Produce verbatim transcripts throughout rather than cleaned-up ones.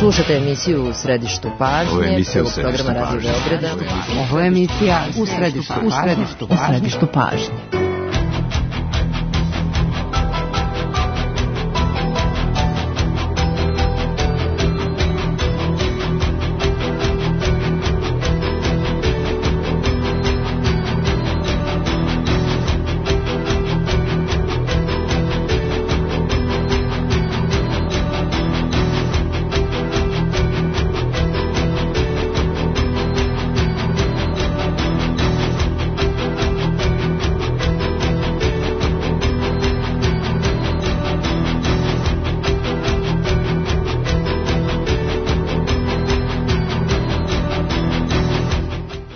Slušate emisiju U središtu pažnje, prvog programa Radio Beograda. Ovo je emisija U središtu pažnje. U središtu pažnje.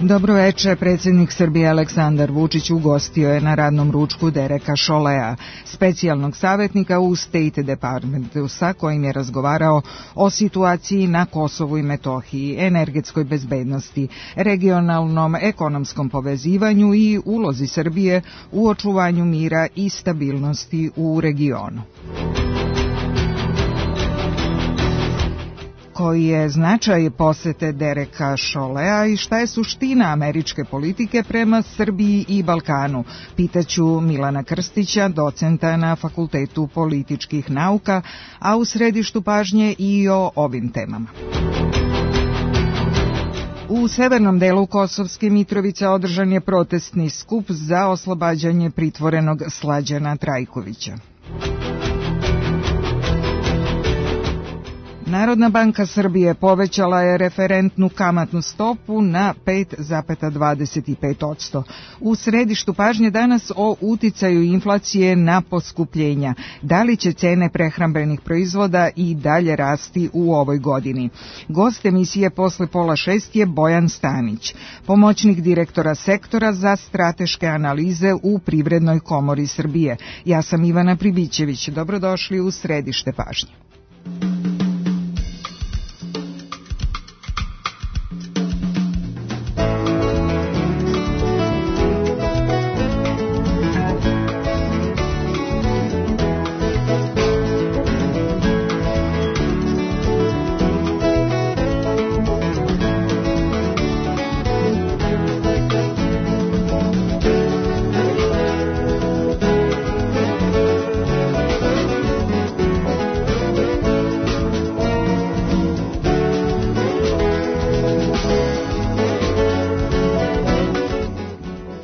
Dobro večer, predsjednik Srbije Aleksandar Vučić ugostio je na radnom ručku Dereka Cholletea, specijalnog savjetnika u State Departmentu, sa kojim je razgovarao o situaciji na Kosovu i Metohiji, energetskoj bezbednosti, regionalnom ekonomskom povezivanju i ulozi Srbije u očuvanju mira i stabilnosti u regionu. Koji je značaj posete Dereka Cholletea i šta je suština američke politike prema Srbiji i Balkanu? Pitaću Milana Krstića, docenta na Fakultetu političkih nauka, a u središtu pažnje i o ovim temama. U severnom delu Kosovske Mitrovice održan je protestni skup za oslobađanje pritvorenog Slađana Trajkovića. Narodna banka Srbije povećala je referentnu kamatnu stopu na pet zarez dvadeset pet posto. U središtu pažnje danas o uticaju inflacije na poskupljenja. Da li će cene prehrambenih proizvoda i dalje rasti u ovoj godini? Gost emisije posle pola šest je Bojan Stanić, pomoćnik direktora sektora za strateške analize u Privrednoj komori Srbije. Ja sam Ivana Pribićević. Dobrodošli u središte pažnje.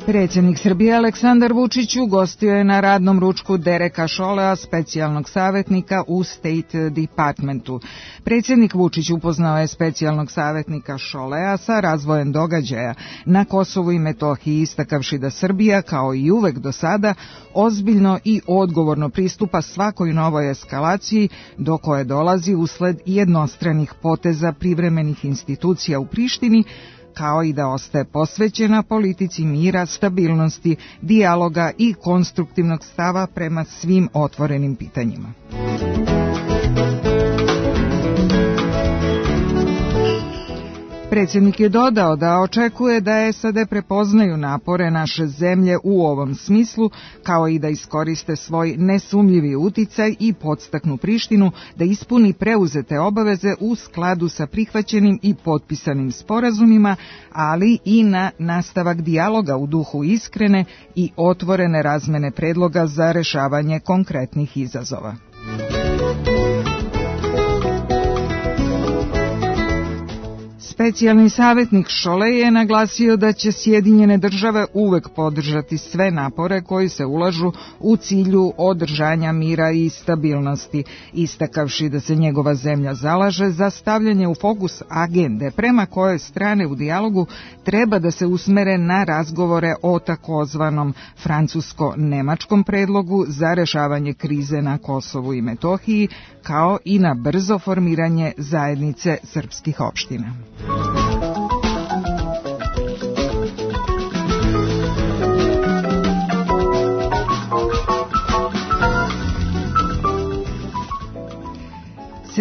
Predsjednik Srbije Aleksandar Vučić ugostio je na radnom ručku Dereka Cholletea, specijalnog savjetnika u State Departmentu. Predsjednik Vučić upoznao je specijalnog savjetnika Cholletea sa razvojem događaja na Kosovu i Metohiji, istakavši da Srbija, kao i uvek do sada, ozbiljno i odgovorno pristupa svakoj novoj eskalaciji do koje dolazi usled jednostranih poteza privremenih institucija u Prištini, kao i da ostaje posvećena politici mira, stabilnosti, dijaloga i konstruktivnog stava prema svim otvorenim pitanjima. Predsjednik je dodao da očekuje da S A D prepoznaju napore naše zemlje u ovom smislu, kao i da iskoriste svoj nesumljivi uticaj i podstaknu Prištinu da ispuni preuzete obaveze u skladu sa prihvaćenim i potpisanim sporazumima, ali i na nastavak dijaloga u duhu iskrene i otvorene razmene predloga za rešavanje konkretnih izazova. Specijalni savjetnik Cholletea je naglasio da će Sjedinjene države uvek podržati sve napore koji se ulažu u cilju održanja mira i stabilnosti, istakavši da se njegova zemlja zalaže za stavljanje u fokus agende prema kojoj strane u dijalogu treba da se usmere na razgovore o takozvanom francusko-nemačkom predlogu za rešavanje krize na Kosovu i Metohiji, kao i na brzo formiranje zajednice srpskih opština.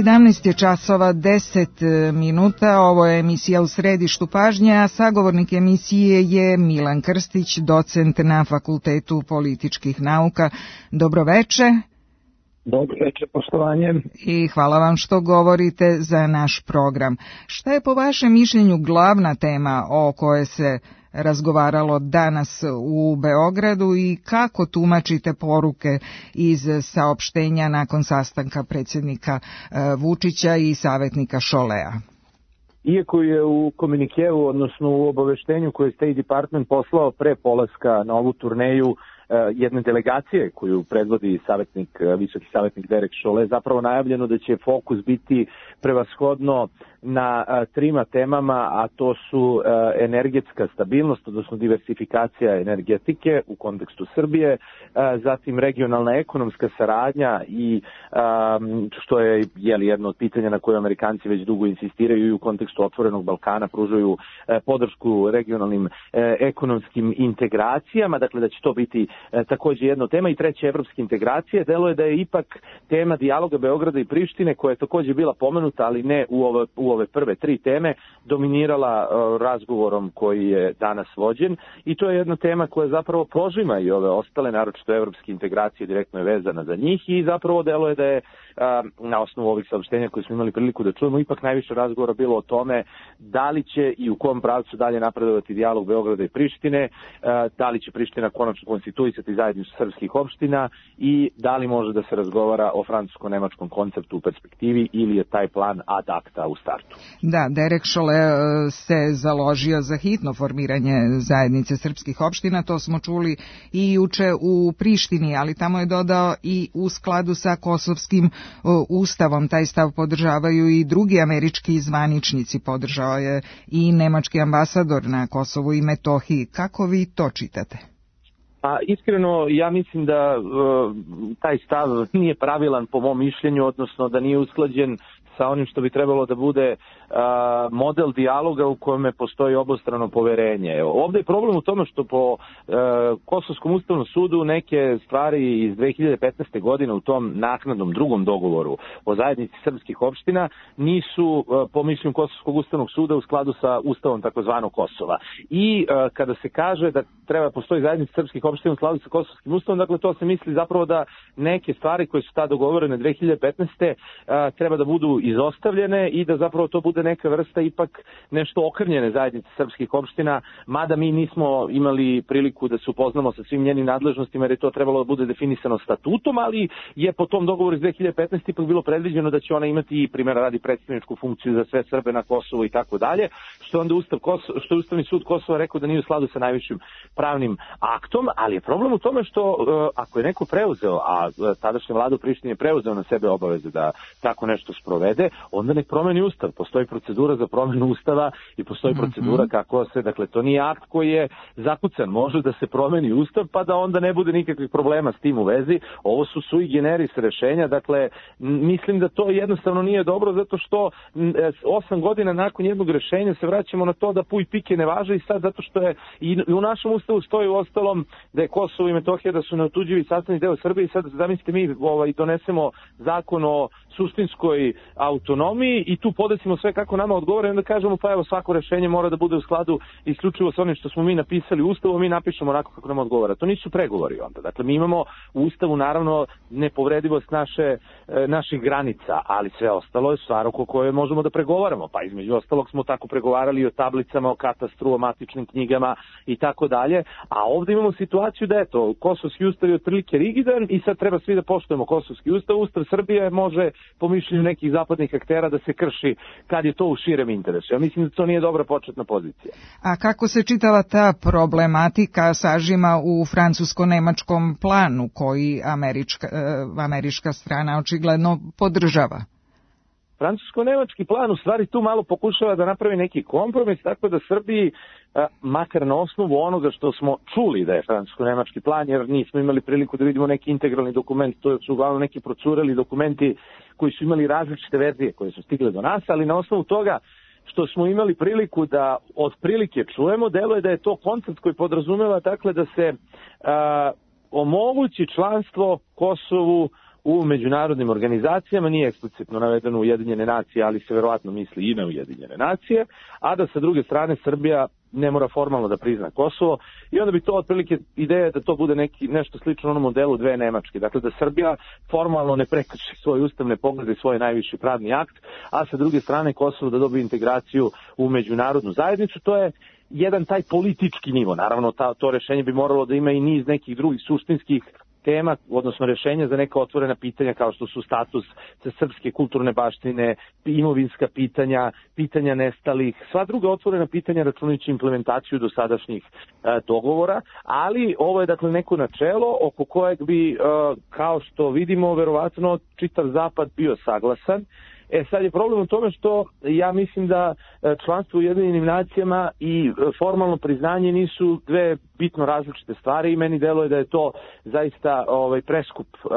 sedamnaest je časova deset minuta, ovo je emisija U središtu pažnje, a sagovornik emisije je Milan Krstić, docent na Fakultetu političkih nauka. Dobroveče. Dobro večer, poštovanje. I hvala vam što govorite za naš program. Šta je po vašem mišljenju glavna tema o kojoj se razgovaralo danas u Beogradu i kako tumačite poruke iz saopštenja nakon sastanka predsjednika Vučića i savjetnika Šolea? Iako je u komunikeu, odnosno u obaveštenju koje je State Department poslao pre polaska na ovu turneju jedne delegacije koju predvodi savjetnik, visoki savjetnik Derek Chollet, zapravo najavljeno da će fokus biti prevashodno na trima temama, a to su energetska stabilnost, odnosno diversifikacija energetike u kontekstu Srbije, zatim regionalna ekonomska saradnja i što je jeli, jedno od pitanja na koje Amerikanci već dugo insistiraju i u kontekstu otvorenog Balkana pružaju podršku regionalnim ekonomskim integracijama, dakle da će to biti takođe jedna tema. I treće, evropske integracije. Delo je da je ipak tema dijaloga Beograda i Prištine, koja je takođe bila pomenuta, ali ne u ove, u ove prve tri teme, dominirala uh, razgovorom koji je danas vođen. I to je jedna tema koja zapravo prožima i ove ostale, naročito evropske integracije, direktno je vezana za njih i zapravo delo je da je uh, na osnovu ovih saopštenja koje smo imali priliku da čujemo, ipak najviše razgovora bilo o tome da li će i u kom pravcu dalje napredovati dijalog Beograda i Prištine, uh, da li će Priština konačno konstituisati zajednicu srpskih opština i da li može da se razgovara o francusko-nemačkom konceptu u perspektivi ili je taj plan ad acta u startu. Da, Derek Chollet se založio za hitno formiranje zajednice srpskih opština, to smo čuli i juče u Prištini, ali tamo je dodao i u skladu sa kosovskim ustavom. Taj stav podržavaju i drugi američki zvaničnici, podržao je i nemački ambasador na Kosovu i Metohiji. Kako vi to čitate? Pa iskreno ja mislim da uh, taj stav nije pravilan po mom mišljenju, odnosno da nije usklađen sa onim što bi trebalo da bude uh, model dijaloga u kojem postoji obostrano poverenje. Ovdje je problem u tome što po uh, Kosovskom ustavnom sudu neke stvari iz dve hiljade petnaeste. godine u tom naknadnom drugom dogovoru o zajednici srpskih opština nisu uh, po mišljenju Kosovskog ustavnog suda u skladu sa ustavom takozvanog Kosova. I uh, kada se kaže da treba postoji zajednica srpskih opština u skladu sa Kosovskim ustavom, dakle to se misli zapravo da neke stvari koje su tada dogovorene dve hiljade petnaeste. Uh, treba da budu izostavljene i da zapravo to bude neka vrsta ipak nešto okrnjene zajednice srpskih opština, mada mi nismo imali priliku da se upoznamo sa svim njenim nadležnostima jer je to trebalo da bude definisano statutom, ali je po tom dogovoru iz dve hiljade petnaeste. ipak bilo predviđeno da će ona imati, primjera radi, predstavničku funkciju za sve Srbe na Kosovu i tako dalje, što je onda Ustav Kosovo, što je Ustavni sud Kosova rekao da nije u skladu sa najvišim pravnim aktom, ali je problem u tome što ako je neko preuzeo, a tadašnja vlada u Prištini je preuzeo na sebe obaveze da tako nešto sprovede, onda nek promeni ustav. Postoji procedura za promenu ustava i postoji procedura kako se, dakle to nije akt koji je zakucan, može da se promeni ustav pa da onda ne bude nikakvih problema s tim u vezi. Ovo su sui generis rešenja, dakle mislim da to jednostavno nije dobro zato što osam godina nakon jednog rešenja se vraćamo na to da puj pike ne važe i sad zato što je i u našem ustavu stoji u ostalom da je Kosovo i Metohija da su neotuđivi sastavni deo Srbije i sad zamislite mi ovaj, donesemo zakon o suštinskoj autonomiji i tu podesimo sve kako nama odgovara i onda kažemo pa evo svako rešenje mora da bude u skladu isključivo sa onim što smo mi napisali u ustavu, mi napišemo onako kako nam odgovara. To nisu pregovori onda. Dakle, mi imamo u ustavu naravno nepovredivost naše, naših granica, ali sve ostalo je stvar oko koje možemo da pregovaramo. Pa između ostalog smo tako pregovarali o tablicama, o katastru, o matičnim knjigama i tako dalje. A ovdje imamo situaciju da eto, Kosovski ustav je otprilike rigidan i sad treba svi da poštujemo Kosovski ustav. Ustav Srbije može po mišljenju nekih zapadnih aktera da se krši kad je to u širem interesu. Ja mislim da to nije dobra početna pozicija. A kako se čitava ta problematika sažima u francusko-nemačkom planu koji američka, američka strana očigledno podržava? Francusko-nemački plan u stvari tu malo pokušava da napravi neki kompromis, tako da Srbiji, makar na osnovu onoga što smo čuli da je francusko-nemački plan, jer nismo imali priliku da vidimo neki integralni dokument, to su uglavnom neki procureli dokumenti koji su imali različite verzije koje su stigle do nas, ali na osnovu toga što smo imali priliku da otprilike čujemo, deluje da je to koncept koji podrazumeva dakle da se a, omogući članstvo Kosovu u međunarodnim organizacijama, nije eksplicitno navedeno Ujedinjene nacije, ali se verovatno misli i na Ujedinjene nacije, a da sa druge strane Srbija ne mora formalno da prizna Kosovo i onda bi to otprilike ideja da to bude neki, nešto slično onom modelu dve Nemačke. Dakle, da Srbija formalno ne prekrši svoje ustavne poglede i svoj najviši pravni akt, a sa druge strane Kosovo da dobije integraciju u međunarodnu zajednicu. To je jedan taj politički nivo. Naravno, ta, to rešenje bi moralo da ima i niz nekih drugih suštinskih tema, odnosno rešenja za neka otvorena pitanja kao što su status srpske kulturne baštine, imovinska pitanja, pitanja nestalih, sva druga otvorena pitanja računajući implementaciju dosadašnjih e, dogovora, ali ovo je dakle neko načelo oko kojeg bi, e, kao što vidimo, verovatno čitav zapad bio saglasan. E sad je problem u tome što ja mislim da članstvo u Ujedinjenim nacijama i formalno priznanje nisu dve bitno različite stvari i meni deluje da je to zaista ovaj preskup, uh,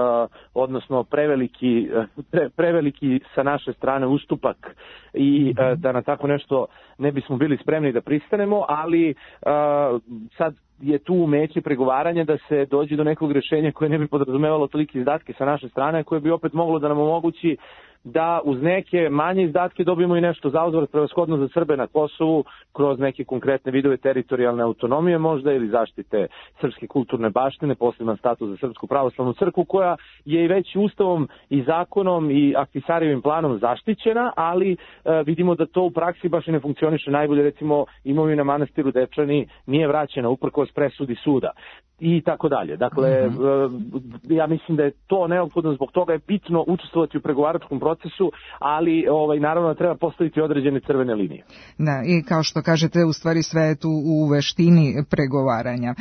odnosno preveliki, pre, preveliki sa naše strane ustupak i uh, da na tako nešto ne bismo bili spremni da pristanemo, ali uh, sad je tu umeće pregovaranja da se dođe do nekog rešenja koje ne bi podrazumevalo tolike izdatke sa naše strane, koje bi opet moglo da nam omogući da uz neke manje izdatke dobijemo i nešto zauzvrat prevashodno za Srbe na Kosovu kroz neke konkretne vidove teritorijalne autonomije možda ili zaštite srpske kulturne baštine, poseban status za Srpsku pravoslavnu crkvu koja je i već ustavom i zakonom i Ahtisarijevim planom zaštićena, ali e, vidimo da to u praksi baš i ne funkcioniše najbolje. Recimo imovina manastiru Dečani nije vraćena uprkos presudi suda i tako dalje. Dakle, mm-hmm. ja mislim da je to neophodno, zbog toga je bitno učestvovati u pregovaračkom procesu, ali ovaj, naravno da treba postaviti određene crvene linije. Da, i kao što kažete, u stvari sve je tu u veštini pregovaranja.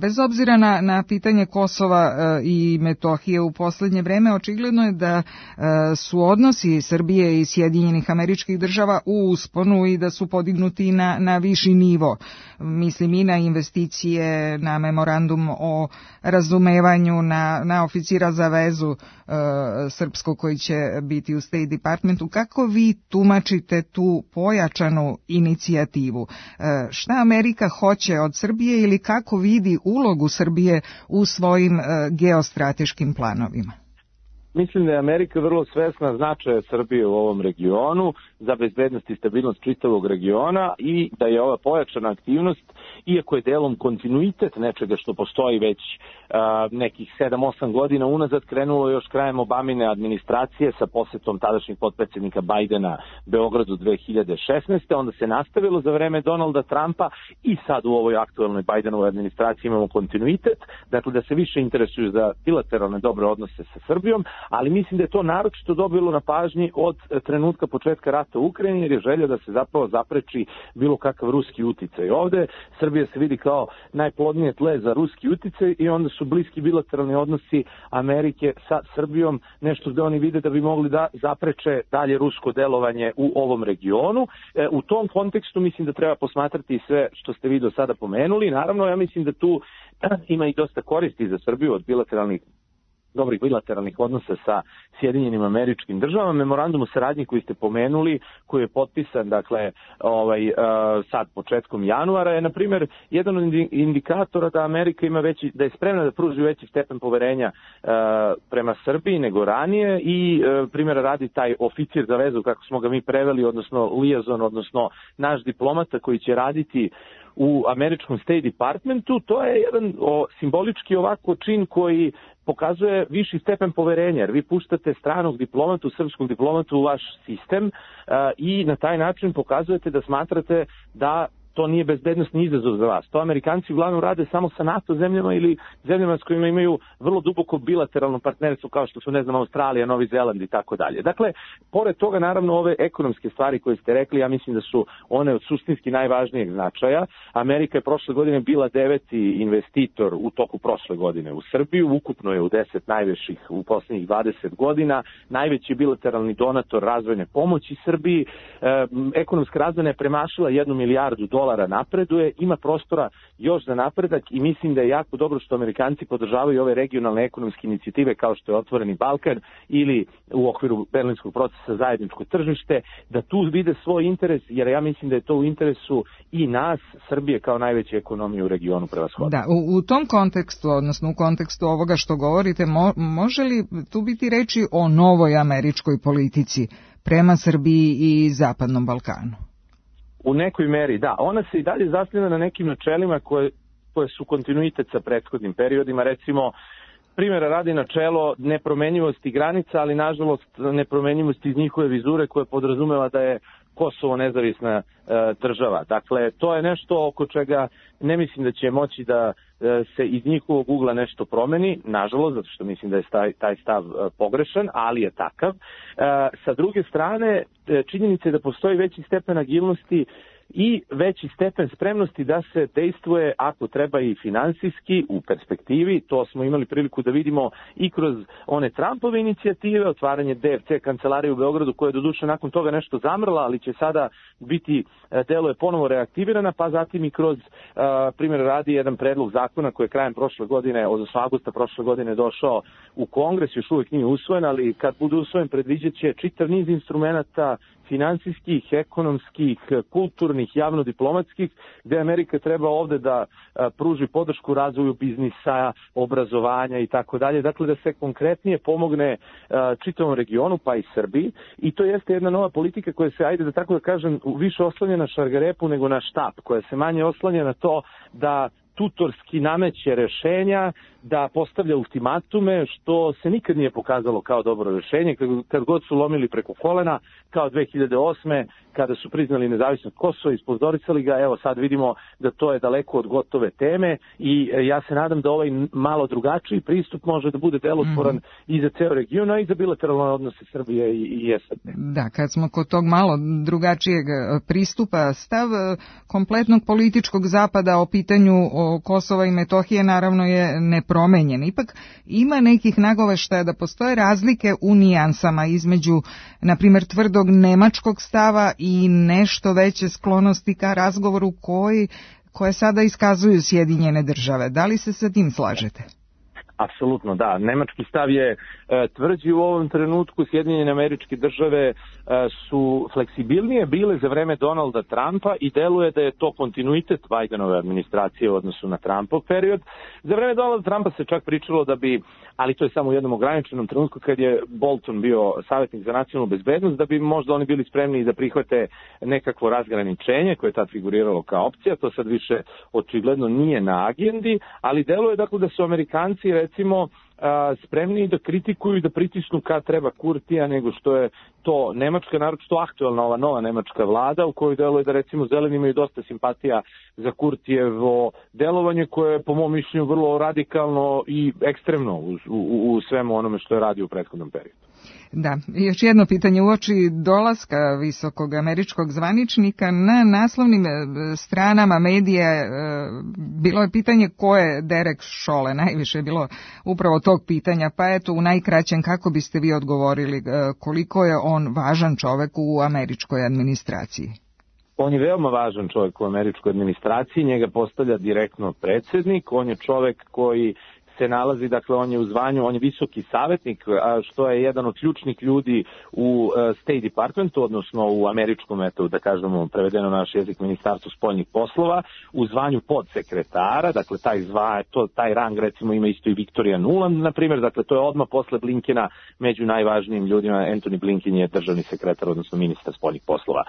Bez obzira na, na pitanje Kosova i Metohije u poslednje vreme, očigledno je da su odnosi Srbije i Sjedinjenih Američkih Država u usponu i da su podignuti na, na viši nivo. Mislim i na investicije, na memorandum o razumevanju, na, na oficira za vezu uh, srpsko koji će biti u State Departmentu. Kako vi tumačite tu pojačanu inicijativu? Uh, šta Amerika hoće od Srbije ili kako vidi ulogu Srbije u svojim uh, geostrateškim planovima? Mislim da je Amerika vrlo svesna značaja Srbije u ovom regionu za bezbednost i stabilnost čitavog regiona i da je ova pojačana aktivnost, iako je delom kontinuitet nečega što postoji već uh, nekih sedam osam godina unazad, krenulo još krajem Obamine administracije sa posetom tadašnjeg potpredsjednika Bajdena Beogradu dve hiljade šesnaeste. Onda se nastavilo za vreme Donalda Trumpa i sad u ovoj aktuelnoj Bajdenovoj administraciji imamo kontinuitet, dakle da se više interesuju za bilateralne dobre odnose sa Srbijom, ali mislim da je to naročito dobilo na pažnji od trenutka početka rata u Ukrajini, jer je želja da se zapravo zapreči bilo kakav ruski uticaj. Ovde Srbija se vidi kao najplodnije tle za ruski uticaj i onda su bliski bilateralni odnosi Amerike sa Srbijom nešto gde oni vide da bi mogli da zapreče dalje rusko delovanje u ovom regionu. E, u tom kontekstu mislim da treba posmatrati sve što ste vi do sada pomenuli. Naravno, ja mislim da tu ima i dosta koristi za Srbiju od bilateralnih dobrih bilateralnih odnosa sa Sjedinjenim Američkim Državama. Memorandum o saradnji koji ste pomenuli, koji je potpisan, dakle, ovaj, uh, sad početkom januara, je, na primjer, jedan od indikatora da Amerika ima veći, da je spremna da pruži veći stepen poverenja uh, prema Srbiji nego ranije i, uh, primjera radi, taj oficir za vezu, kako smo ga mi preveli, odnosno liaison, odnosno naš diplomata koji će raditi u američkom State Departmentu, to je jedan o, simbolički ovako čin koji pokazuje viši stepen poverenja, jer vi puštate stranog diplomatu, srpskog diplomatu u vaš sistem uh, i na taj način pokazujete da smatrate da to nije bezbednosni izazov za vas. To Amerikanci uglavnom rade samo sa NATO zemljama ili zemljama s kojima imaju vrlo duboko bilateralno partnerstvo kao što su, ne znam, Australija, Novi Zeland i tako dalje. Dakle, pored toga, naravno, ove ekonomske stvari koje ste rekli, ja mislim da su one od suštinski najvažnijeg značaja. Amerika je prošle godine bila deveti investitor u toku prošle godine u Srbiju, ukupno je u deset najvećih u poslednjih dvadeset godina, najveći bilateralni donator razvojne pomoći Srbiji, e, ekonomska razvojna je premašila jednu milijardu dolara dolara napreduje, ima prostora još za napredak i mislim da je jako dobro što Amerikanci podržavaju ove regionalne ekonomske inicijative kao što je Otvoreni Balkan ili u okviru berlinskog procesa zajedničko tržište, da tu vide svoj interes, jer ja mislim da je to u interesu i nas, Srbije kao najveće ekonomije u regionu prevashodno. Da, u, u tom kontekstu, odnosno u kontekstu ovoga što govorite, mo, može li tu biti reči o novoj američkoj politici prema Srbiji i Zapadnom Balkanu? U nekoj meri, da. Ona se i dalje zasniva na nekim načelima koje, koje su kontinuitet sa prethodnim periodima. Recimo, primjera radi načelo nepromenjivosti granica, ali nažalost nepromenjivosti iz njihove vizure koje podrazumeva da je Kosovo nezavisna e, država. Dakle, to je nešto oko čega ne mislim da će moći da e, se iz njihovog ugla nešto promeni, nažalost, zato što mislim da je taj, taj stav e, pogrešan, ali je takav. E, sa druge strane, e, činjenica je da postoji veći stepen agilnosti i veći stepen spremnosti da se dejstvuje ako treba i finansijski u perspektivi. To smo imali priliku da vidimo i kroz one Trumpove inicijative, otvaranje D F C kancelarije u Beogradu koja je doduše nakon toga nešto zamrla, ali će sada biti, delo je ponovo reaktivirana, pa zatim i kroz primjer radi jedan predlog zakona koji je krajem prošle godine, odnosno avgusta prošle godine došao u Kongres, još uvijek nije usvojen, ali kad bude usvojen predviđat će čitav niz instrumenata finansijskih, ekonomskih, kulturnih, javno-diplomatskih, gde Amerika treba ovde da pruži podršku razvoju biznisa, obrazovanja i tako dalje. Dakle, da se konkretnije pomogne čitavom regionu, pa i Srbiji. I to jeste jedna nova politika koja se, ajde da tako da kažem, više oslanja na šargarepu nego na štap, koja se manje oslanja na to da tutorski nameće rešenja, da postavlja ultimatume, što se nikad nije pokazalo kao dobro rešenje, kad, kad god su lomili preko kolena, kao dve hiljade osme kada su priznali nezavisnost Kosova i ispozoricali ga, evo sad vidimo da to je daleko od gotove teme i ja se nadam da ovaj malo drugačiji pristup može da bude delotvoran mm. i za ceo region, a i za bilateralne odnose Srbije i, i S A D. Da, kad smo kod tog malo drugačijeg pristupa, stav kompletnog političkog zapada o pitanju o Kosova i Metohije naravno je nepromenjen. Ipak ima nekih nagoveštaja da postoje razlike u nijansama između, na primjer, tvrdog nemačkog stava i nešto veće sklonosti ka razgovoru koji, koje sada iskazuju Sjedinjene države. Da li se sa tim slažete? Apsolutno, da. Nemački stav je e, tvrđi u ovom trenutku. Sjedinjene Američke Države e, su fleksibilnije bile za vreme Donalda Trumpa i deluje da je to kontinuitet Bidenove administracije u odnosu na Trumpov period. Za vreme Donalda Trumpa se čak pričalo da bi, ali to je samo u jednom ograničenom trenutku kad je Bolton bio savjetnik za nacionalnu bezbednost, da bi možda oni bili spremni da prihvate nekakvo razgraničenje koje je tad figuriralo kao opcija. To sad više očigledno nije na agendi, ali deluje dakle da su Amerikanci recimo spremni da kritikuju i da pritisnu kad treba Kurtija nego što je to Nemačka, naročito aktualna ova nova nemačka vlada u kojoj deluje da recimo zeleni imaju dosta simpatija za Kurtijevo delovanje koje je po mom mišljenju vrlo radikalno i ekstremno u, u, u svemu onome što je radio u prethodnom periodu. Da, još jedno pitanje uoči dolaska visokog američkog zvaničnika na naslovnim stranama medija bilo je pitanje ko je Derek Chollet, najviše je bilo upravo tog pitanja, pa eto u najkraćem kako biste vi odgovorili koliko je on važan čovek u američkoj administraciji? On je veoma važan čovjek u američkoj administraciji, njega postavlja direktno predsjednik, on je čovjek koji se nalazi, dakle on je u zvanju, on je visoki savjetnik, što je jedan od ključnih ljudi u State Departmentu, odnosno u američkom, eto da kažemo prevedeno na naš jezik, Ministarstvu spoljnih poslova, u zvanju podsekretara, dakle taj zva, to, taj rang recimo ima isto i Victoria Nuland, na primjer, dakle to je odmah posle Blinkena među najvažnijim ljudima. Anthony Blinken je državni sekretar, odnosno ministar spoljnih poslova,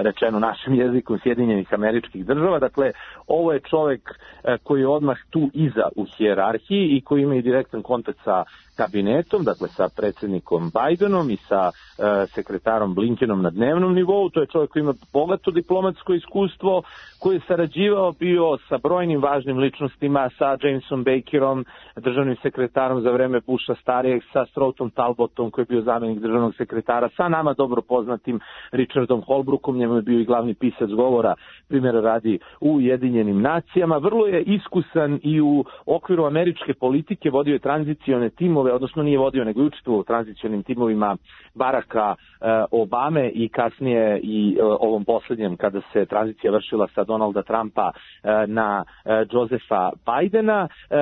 rečeno našim jezikom Sjedinjenih Američkih Država. Dakle, ovo je čovjek koji je odmah tu iza u hijerarhiji i koji ima i direktan kontakt sa kabinetom, dakle sa predsjednikom Bidenom i sa e, sekretarom Blinkenom na dnevnom nivou. To je čovjek koji ima bogato diplomatsko iskustvo, koji je sarađivao bio sa brojnim važnim ličnostima, sa Jamesom Bakerom, državnim sekretarom za vreme Busha starijeg, sa Stroughton Talbotom koji je bio zamjenik državnog sekretara, sa nama dobro poznatim Richardom Holbrookom, njemu je bio i glavni pisac govora, primjera radi u Ujedinjenim nacijama. Vrlo je iskusan i u okviru američke politike, vodio je tranzicione timove, odnosno nije vodio, nego je učestvovao u tranzicionim timovima Baracka e, Obame i kasnije i e, ovom posljednjem kada se tranzicija vršila sa Donalda Trumpa e, na e, Josepha Bidena. E,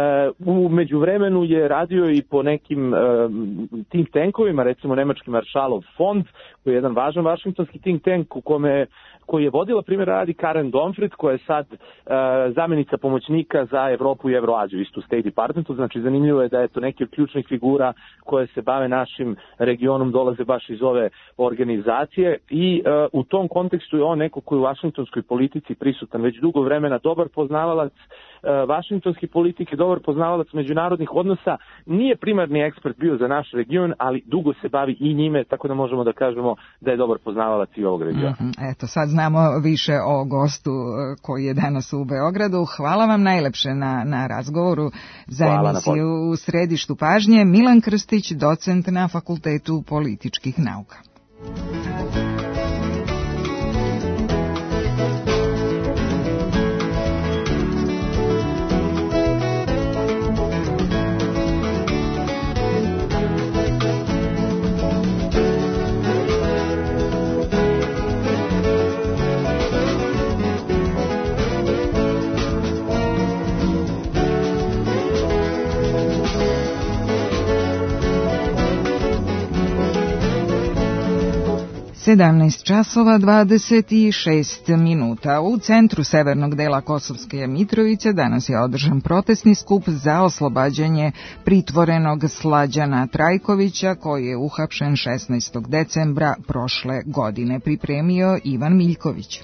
u međuvremenu je radio i po nekim e, think tankovima, recimo nemački Marshallov fond, koji je jedan važan vašingtonski think tank u kome koji je vodila primjer radi Karen Donfrid, koja je sad e, zamjenica pomoćnika za Evropu i Evroaziju, isto u State Departmentu. Znači zanimljivo je da je to neki od ključnih figura koje se bave našim regionom dolaze baš iz ove organizacije i uh, u tom kontekstu je on neko koji u vašingtonskoj politici prisutan već dugo vremena, dobar poznavalac uh, vašingtonske politike, dobar poznavalac međunarodnih odnosa, nije primarni ekspert bio za naš region, ali dugo se bavi i njime, tako da možemo da kažemo da je dobar poznavalac i ovog regiona. Mm-hmm. Eto, sad znamo više o gostu koji je danas u Beogradu. Hvala vam najlepše na, na razgovoru za Hvala emisiju u središtu pažnje. Milan Krstić, docent na Fakultetu političkih nauka. sedamnaest časova dvadeset šest minuta. U centru severnog dela Kosovske Mitrovice danas je održan protestni skup za oslobađanje pritvorenog Slađana Trajkovića, koji je uhapšen šesnaestog decembra prošle godine. Pripremio Ivan Miljković.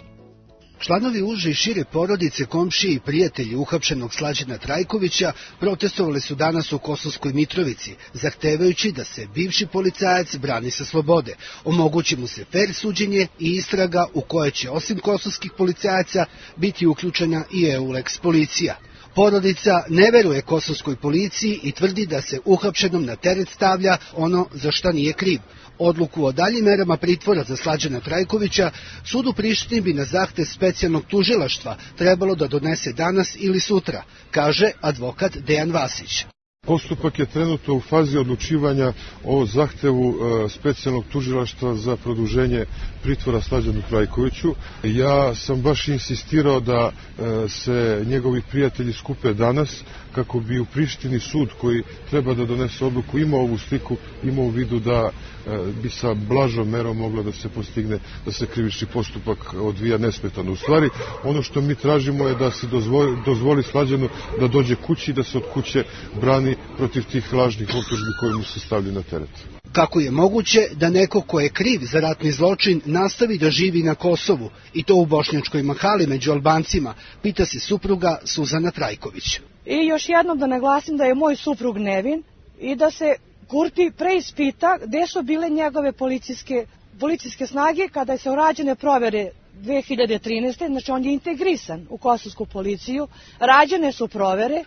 Članovi uže i šire porodice, komšije i prijatelji uhapšenog Slađana Trajkovića protestovali su danas u Kosovskoj Mitrovici, zahtevajući da se bivši policajac brani sa slobode, omogući mu se fer suđenje i istraga u koje će osim kosovskih policajaca biti uključena i EULEX policija. Porodica ne veruje kosovskoj policiji i tvrdi da se uhapšenom na teret stavlja ono za šta nije kriv. Odluku o daljim merama pritvora za Slađana Trajkovića sud u Prištini bi na zahtev specijalnog tužilaštva trebalo da donese danas ili sutra, kaže advokat Dejan Vasić. Postupak je trenutno u fazi odlučivanja o zahtevu e, specijalnog tužilaštva za produženje pritvora Slađanu Trajkoviću. Ja sam baš insistirao da e, se njegovi prijatelji skupe danas kako bi u Prištini sud koji treba da donese odluku imao ovu sliku, imao u vidu da e, bi sa blažom merom moglo da se postigne da se krivični postupak odvija nesmetano. U stvari, ono što mi tražimo je da se dozvoli, dozvoli Slađanu da dođe kući i da se od kuće brani protiv tih lažnih optužbi koje mu se stavljaju na teret. Kako je moguće da neko ko je kriv za ratni zločin nastavi da živi na Kosovu, i to u Bošnjačkoj Mahali među Albancima, pita se supruga Suzana Trajković. I još jednom da naglasim da je moj suprug nevin i da se Kurti preispita gde su bile njegove policijske, policijske snage kada se rađene provere dve hiljade trinaeste. Znači on je integrisan u kosovsku policiju, rađene su provere.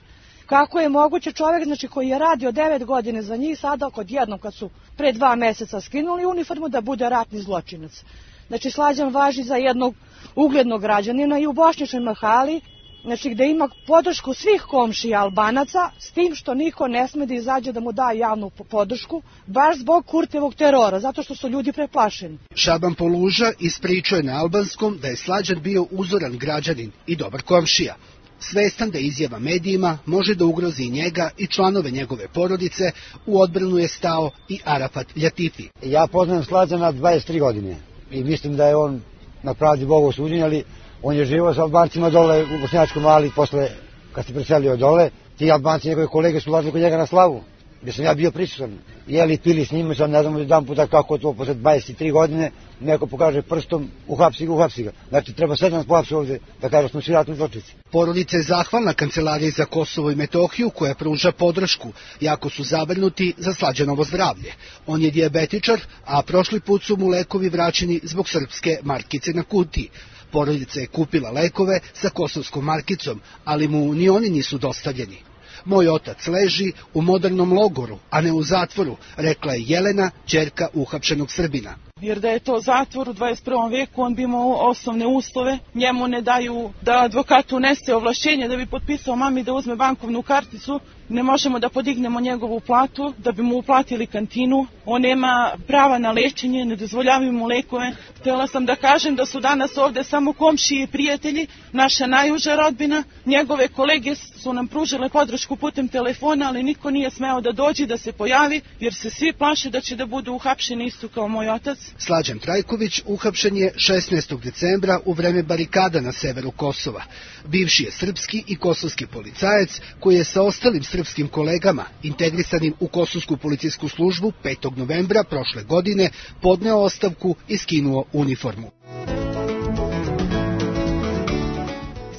Kako je moguće čovjek, znači, koji je radio devet godine za njih, sada kod jednom kad su pre dva meseca skinuli uniformu, da bude ratni zločinac. Znači Slađan važi za jednog uglednog građanina i u Bošnjačkoj Mahali, znači gde ima podršku svih komšija Albanaca, s tim što niko ne sme da izađe da mu da javnu podršku, baš zbog Kurtevog terora, zato što su ljudi preplašeni. Šaban Poluža ispričao je na albanskom da je Slađan bio uzoran građanin i dobar komšija. Svestan da izjava medijima može da ugrozi i njega i članove njegove porodice, u odbranu je stao i Arafat Ljatifi. Ja poznajem Slađana dvadeset tri godine i mislim da je on na pravdi Boga osuđen, ali on je živio sa Albancima dole u Bošnjačkoj Mahali posle kad se preselio dole. Ti Albanci, njegove kolege, su ulazili kod njega na slavu, gdje sam ja bio prisutan. Jeli, pili s njima, sam ne znam jedan puta kako to posle dvadeset tri godine neko pokaže prstom, uhapsi ga, uhapsi ga. Znači treba sve da nas pohapsi ovde, da kaže smo svi ratni zločinci. Porodica je zahvalna Kancelariji za Kosovo i Metohiju koja pruža podršku, jako su zabrinuti za Slađanovo zdravlje. On je dijabetičar, a prošli put su mu lekovi vraćeni zbog srpske markice na kutiji. Porodica je kupila lekove sa kosovskom markicom, ali mu ni oni nisu dostavljeni. Moj otac leži u modernom logoru, a ne u zatvoru, rekla je Jelena, ćerka uhapšenog Srbina. Jer da je to zatvor u dvadeset prvom veku, on bi imao osnovne uslove. Njemu ne daju da advokatu unese ovlašćenje da bi potpisao mami da uzme bankovnu karticu. Ne možemo da podignemo njegovu platu, da bi mu uplatili kantinu. On nema prava na lečenje, ne dozvoljavaju mu lekove. Htjela sam da kažem da su danas ovde samo komšije i prijatelji, naša najuža rodbina. Njegove kolege su nam pružile podršku putem telefona, ali niko nije smeo da dođe, da se pojavi, jer se svi plaše da će da budu uhapšeni isto kao moj otac. Kosovarac. Slađan Trajković uhapšen je šesnaestog decembra u vreme barikada na severu Kosova. Bivši je srpski i kosovski policajac koji je sa ostalim srpskim kolegama, integrisanim u kosovsku policijsku službu petog novembra prošle godine, podneo ostavku i skinuo uniformu.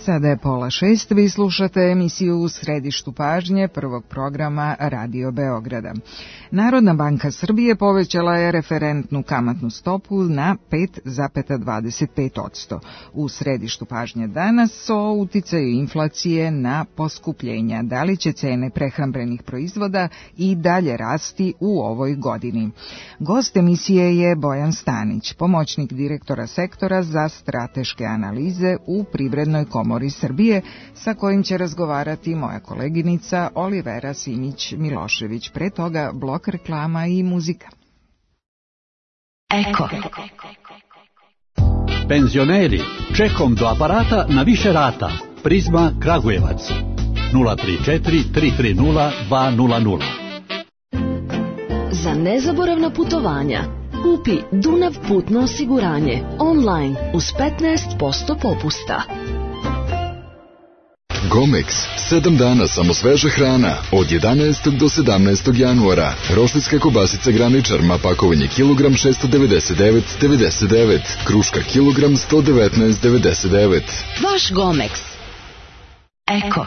Sada je pola šest, vi slušate emisiju U središtu pažnje prvog programa Radio Beograda. Narodna banka Srbije povećala je referentnu kamatnu stopu na pet zarez dvadeset pet posto. U središtu pažnje danas o uticaju inflacije na poskupljenja. Da li će cene prehrambenih proizvoda i dalje rasti u ovoj godini? Gost emisije je Bojan Stanić, pomoćnik direktora sektora za strateške analize u Privrednoj komori Srbije, sa kojim će razgovarati moja koleginica Olivera Simić-Milošević. Pre toga blok reklama i muzika. Eko. Penzioneri, čekom do aparata na više rata. Prizma Kragujevac. nula tri četiri tri tri nula dva nula nula. Za nezaboravna putovanja kupi Dunav putno osiguranje online uz petnaest posto popusta. Gomex, sedam dana samo sveža hrana, od jedanaestog do sedamnaestog januara. Roštiljska kobasica Graničar, ma pakovanje kilogram šessto devedeset devet zarez devedeset devet, kruška kilogram sto devetnaest zarez devedeset devet. Vaš Gomex. Eko.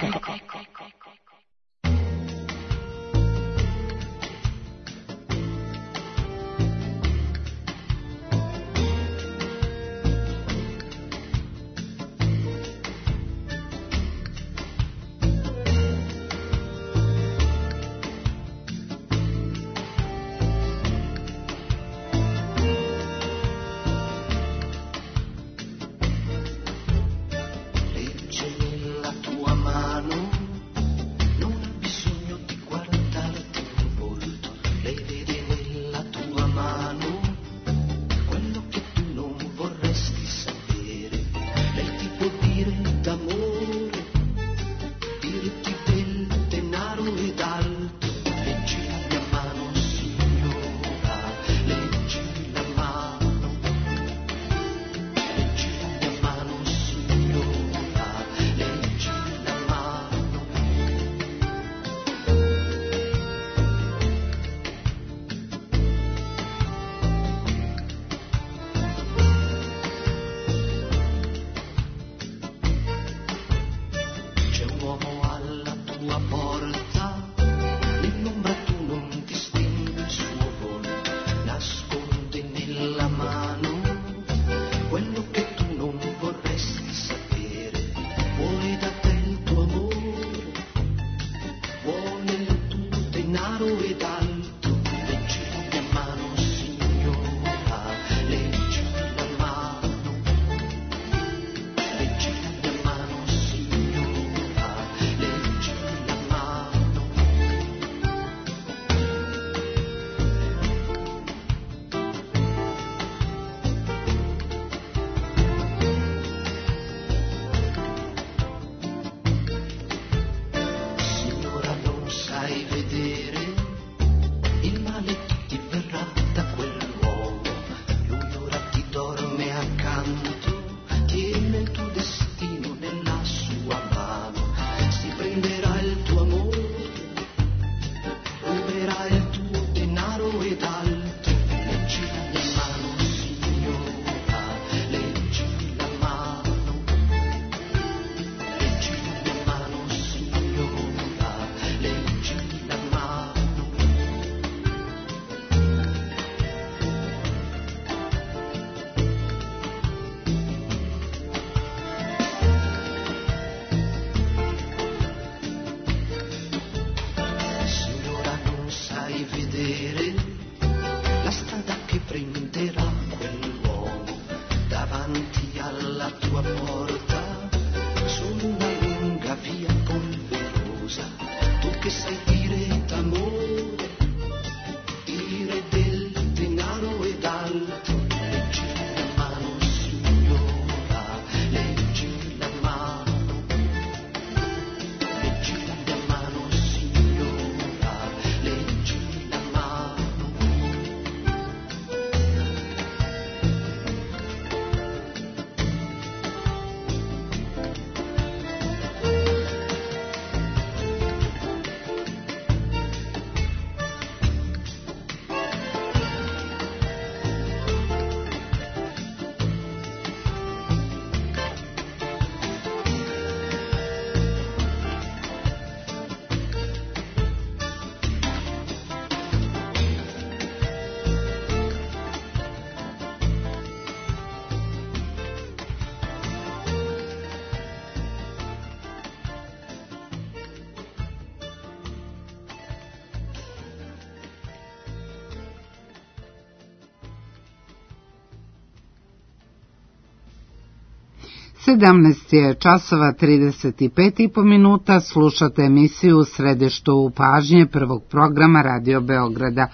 sedamnaest je časova trideset pet i po minuta, slušate emisiju u središtu pažnje prvog programa Radio Beograda.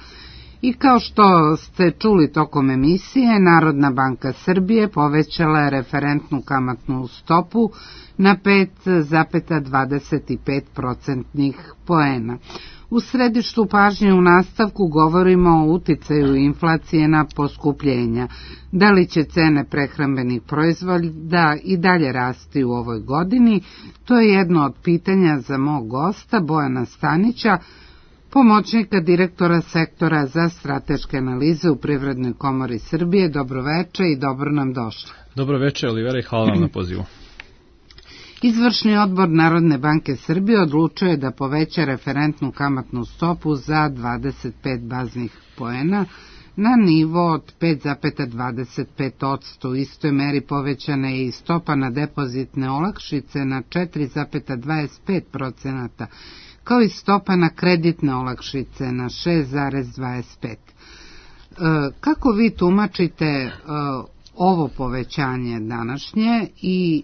I kao što ste čuli tokom emisije, Narodna banka Srbije povećala je referentnu kamatnu stopu na pet zarez dvadeset pet procentnih poena. U središtu pažnje u nastavku govorimo o uticaju inflacije na poskupljenja. Da li će cene prehrambenih proizvoda i dalje rasti u ovoj godini? To je jedno od pitanja za mog gosta Bojana Stanića, pomoćnika direktora sektora za strateške analize u Privrednoj komori Srbije. Dobroveče i dobro nam došli. Dobroveče, Olivera, i hvala vam na pozivu. Izvršni odbor Narodne banke Srbije odlučio je da poveća referentnu kamatnu stopu za dvadeset pet baznih poena na nivo od pet zarez dvadeset pet posto. U istoj meri povećana je i stopa na depozitne olakšice na četiri zarez dvadeset pet procenata, kao i stopa na kreditne olakšice na šest zarez dvadeset pet. Kako vi tumačite ovo povećanje današnje i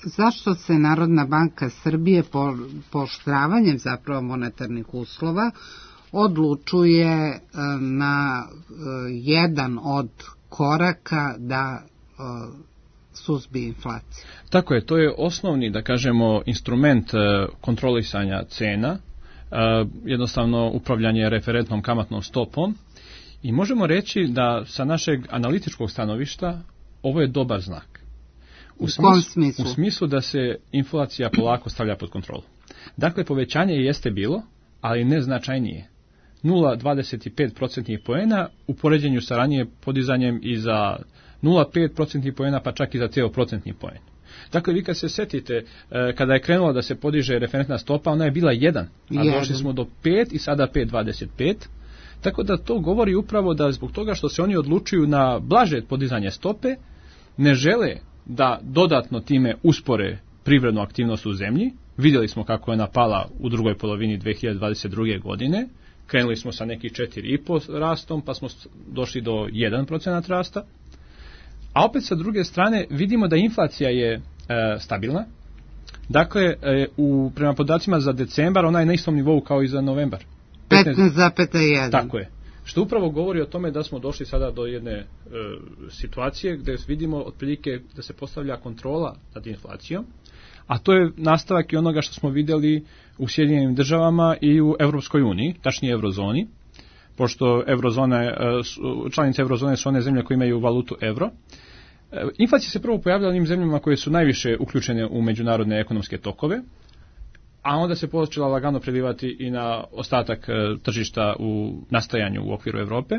zašto se Narodna banka Srbije po pooštravanjem zapravo monetarnih uslova odlučuje na jedan od koraka da suzbije inflaciju? Tako je, to je osnovni, da kažemo, instrument kontrolisanja cena, jednostavno upravljanje referentnom kamatnom stopom, i možemo reći da sa našeg analitičkog stanovišta ovo je dobar znak. U, u kom smislu? U smislu da se inflacija polako stavlja pod kontrolu. Dakle, povećanje jeste bilo, ali ne značajnije. nula zarez dvadeset pet procentnih poena u poređenju sa ranije podizanjem i za nula zarez pet procentnih poena, pa čak i za ceo procentni poen. Dakle, vi kad se setite, kada je krenulo da se podiže referentna stopa, ona je bila jedan, a došli smo do pet i sada pet zarez dvadeset pet. Tako da to govori upravo da zbog toga što se oni odlučuju na blaže podizanje stope, ne žele da dodatno time uspore privrednu aktivnost u zemlji. Vidjeli smo kako je ona pala u drugoj polovini dve hiljade dvadeset druge. godine. Krenuli smo sa nekih četiri zarez pet rastom, pa smo došli do jedan procenat rasta. A opet sa druge strane vidimo da inflacija je e, stabilna. Dakle, e, u, prema podacima za decembar ona je na istom nivou kao i za novembar. petnaest zarez jedan. Tako je. Što upravo govori o tome da smo došli sada do jedne e, situacije gdje vidimo otprilike da se postavlja kontrola nad inflacijom, a to je nastavak i onoga što smo vidjeli u Sjedinjenim državama i u Europskoj uniji, tačnije Eurozoni, pošto Eurozone, članice Eurozone su one zemlje koje imaju valutu euro. Inflacija se prvo pojavlja u onim zemljama koje su najviše uključene u međunarodne ekonomske tokove, a onda se počela lagano prelivati i na ostatak tržišta u nastajanju u okviru Europe.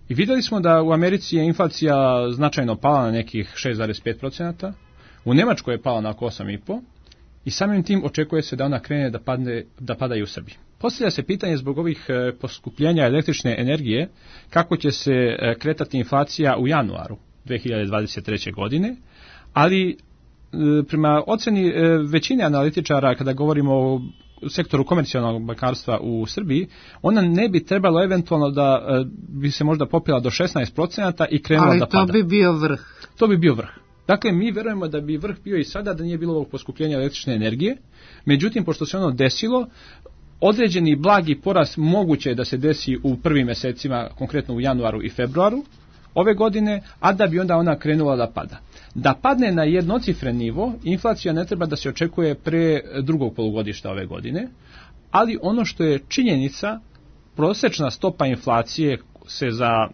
I vidjeli smo da u Americi je inflacija značajno pala na nekih šest zarez pet procenata, u Njemačkoj je pala na oko osam zarez pet i samim tim očekuje se da ona krene da, padne, da pada i u Srbiji. Postavlja se pitanje zbog ovih poskupljenja električne energije kako će se kretati inflacija u januaru dve hiljade dvadeset treće. godine, ali prema oceni većine analitičara, kada govorimo o sektoru komercijalnog bankarstva u Srbiji, ona ne bi trebalo eventualno da bi se možda popila do šesnaest procenata i krenula ali da pada. Ali to bi bio vrh. To bi bio vrh. Dakle, mi verujemo da bi vrh bio i sada da nije bilo ovog poskupljenja električne energije, međutim, pošto se ono desilo, određeni blagi porast moguće je da se desi u prvim mjesecima, konkretno u januaru i februaru ove godine, a da bi onda ona krenula da pada. Da padne na jednocifren nivo, inflacija ne treba da se očekuje pre drugog polugodišta ove godine, ali ono što je činjenica, prosječna stopa inflacije se za e,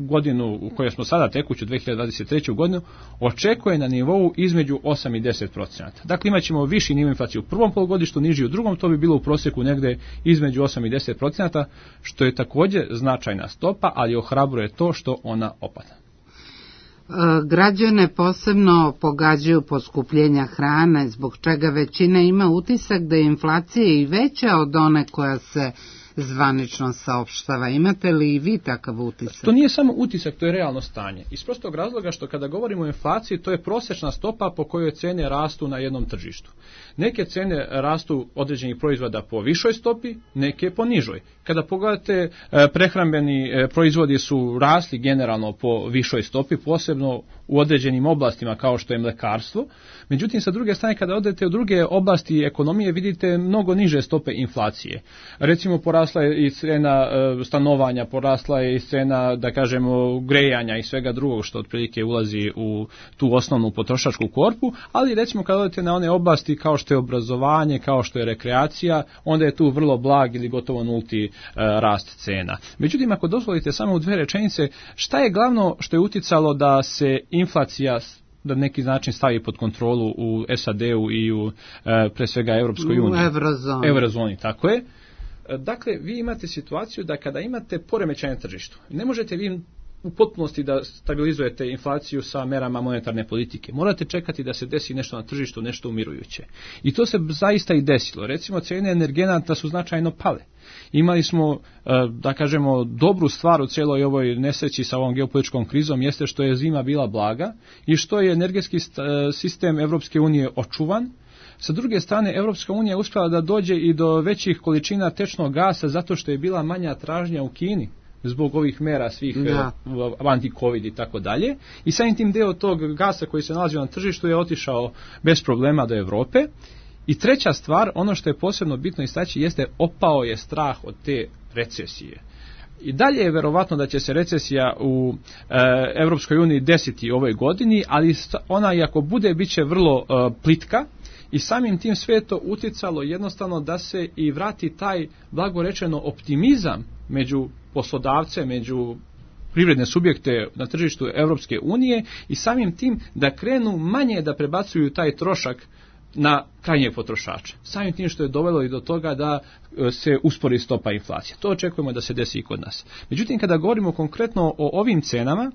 godinu u kojoj smo sada tekuću dve hiljade dvadeset treću. godinu očekuje na nivou između osam i deset procenata. Dakle, imat ćemo viši nivo inflacije u prvom polugodištu, niži u drugom, to bi bilo u prosjeku negde između osam i deset procenata, što je također značajna stopa, ali ohrabruje to što ona opada. Građane posebno pogađaju poskupljenja hrane, zbog čega većina ima utisak da je inflacija i veća od one koja se zvanično saopštava. Imate li i vi takav utisak? To nije samo utisak, to je realno stanje. Iz prostog razloga što kada govorimo o inflaciji, to je prosječna stopa po kojoj cene rastu na jednom tržištu. Neke cene rastu određenih proizvoda po višoj stopi, neke po nižoj. Kada pogledate, prehrambeni proizvodi su rasli generalno po višoj stopi, posebno u određenim oblastima kao što je mlekarstvo. Međutim, sa druge strane, kada odete u druge oblasti ekonomije, vidite mnogo niže stope inflacije. Recimo, porasla je i cena stanovanja, porasla je i cena, da kažemo, grejanja i svega drugog što otprilike ulazi u tu osnovnu potrošačku korpu, ali recimo kada odete na one oblasti kao što je obrazovanje, kao što je rekreacija, onda je tu vrlo blag ili gotovo nulti rast cena. Međutim, ako dozvolite samo u dve rečenice, šta je glavno što je uticalo da se inflacija da neki način stavi pod kontrolu u S A D-u i u pre svega Europskoj uniji? U Eurozoni. Eurozoni, tako je. Dakle, vi imate situaciju da kada imate poremećaj na tržištu, ne možete vi u potpunosti da stabilizujete inflaciju sa merama monetarne politike. Morate čekati da se desi nešto na tržištu, nešto umirujuće. I to se zaista i desilo. Recimo, cijene energenata su značajno pale. Imali smo, da kažemo, dobru stvar u cijeloj ovoj nesreći sa ovom geopolitičkom krizom jeste što je zima bila blaga i što je energetski sistem Europske unije očuvan. Sa druge strane, Europska unija uspjela da dođe i do većih količina tečnog gasa zato što je bila manja tražnja u Kini zbog ovih mera svih anti-covid i tako dalje. I samim tim deo tog gasa koji se nalazio na tržištu je otišao bez problema do Europe. I treća stvar, ono što je posebno bitno istaći, jeste opao je strah od te recesije. I dalje je verovatno da će se recesija u e, Europskoj uniji desiti ove godini, ali ona i ako bude, bit će vrlo e, plitka. I samim tim sve to uticalo jednostavno da se i vrati taj, blago rečeno, optimizam među poslodavce, među privredne subjekte na tržištu Europske unije i samim tim da krenu manje da prebacuju taj trošak na krajnjeg potrošača. Samim tim što je dovelo i do toga da se uspori stopa inflacije. To očekujemo da se desi i kod nas. Međutim, kada govorimo konkretno o ovim cenama,